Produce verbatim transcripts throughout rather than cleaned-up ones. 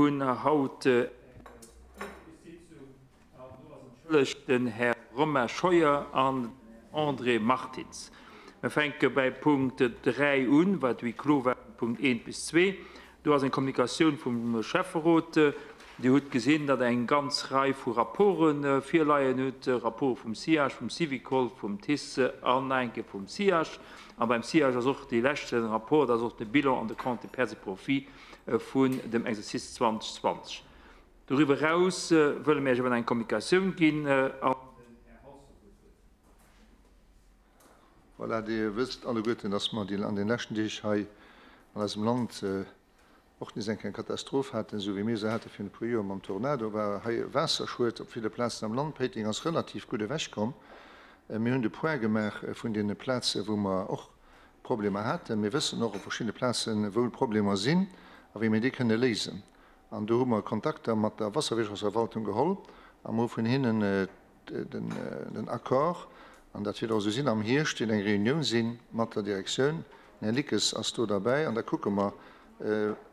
Hunn haut eng Sitzung an do ass entschëllegt den Här Romain Scheuer an den Här André Martins. Mir fänke bäi Punkt dräi un, wat huis clos war, Punkt eent bis zwee. Do ass eng Kommunikatioun vum Schäfferot. Dir hutt gesinn, datt eng ganz Rei vu Rapporte virleien hutt, Rapporte vum SIAGE, vum Syvicol, vum TICE an nach eng Kéier vum SIAGE. A beim SIAGE ass och dee leschte Rapport, dat ass och de Bilan an de Compte de pertes et profits vun dem Exercice zweedausendzwanzeg. Doriwwer eraus wëlle mir Iech awer nach eng Kommunikatioun ginn an den Här Halsdorf huet d'Wuert. Voilà, Dir wësst alleguerten, dass mer an den leschten Deeg hei an eisem Land och nees eng kleng Katastroph haten, esou wéi mir se hate virun e puer Joer mam Tornado, war hei e Waasserschued op ville Plazen am Land. Péiteng ass relativ gutt ewechkomm. Mir hunn de Point gemaach vun deene Plazen, wou mer och Problemer haten. Mir wëssen och op verschiddene Plazen, wou d'Problemer sinn a wéi mir déi kënne léisen. An do hu mer Kontakter mat der Wasserwirtschaftsverwaltung geholl a mer hu vun hinnen den Accord, an dat wäert och esou sinn, am Hierscht wäert eng Reunioun si mat der Direktioun, den Här Lickes ass do derbäi, an da kucke mer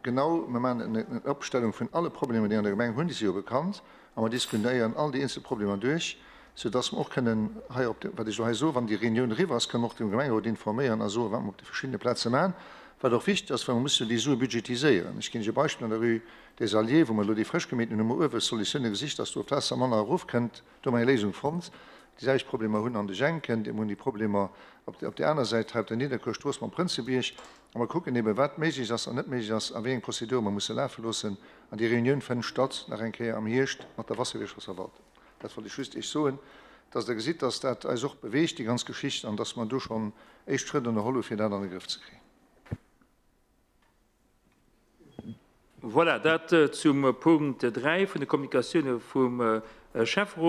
genau, mer maachen eng Opstellung vun alle Problemer, déi an der Gemeng hunn, déi si jo bekannt, a mer diskutéieren all déi eenzel Problemer duerch, soudass mer och kënnen hei op, wat ech elo hei soen, wann déi Reunioun eriwwer ass, kënnen mer och de Gemengerot informéieren a soen, wat mer op de verschiddene Plaze maachen. Wat och wichteg ass, well mer musse jo déi Sue budgetiséieren. Ech ginn lech e Beispill, An der Rue des Alliés, wou mer elo déi frësch gemeet hunn, hu mer uewe Solutioune gesicht, dass do d'Waasser manner erofkënnt. Do hu mer eng Léisung fonnt. Déi selwecht Problemer hunn an de Jenken, mir hunn déi Problemer op där aner Säit hei op der Nidderkuerstrooss mam Prënzebierg. A mer kucken eeben, wat méiglech ass an net méiglech ass a wéi eng Prozedure mer musse lafe loossen. An déi Reunioun fënnt statt nach eng Kéier am Hierscht mat der Wasserwirtschaftsverwaltung. Dat wollt ech just Iech soen, dass Der gesitt, dass dat eis och beweegt, déi ganz Geschicht, an dass mer do schonn éischt Schrëtt ënnerholl hu fir dat an de Grëff ze kréien. Voilà, dat zum Punkt dräi vun de Kommunikatioune vum Schäfferot.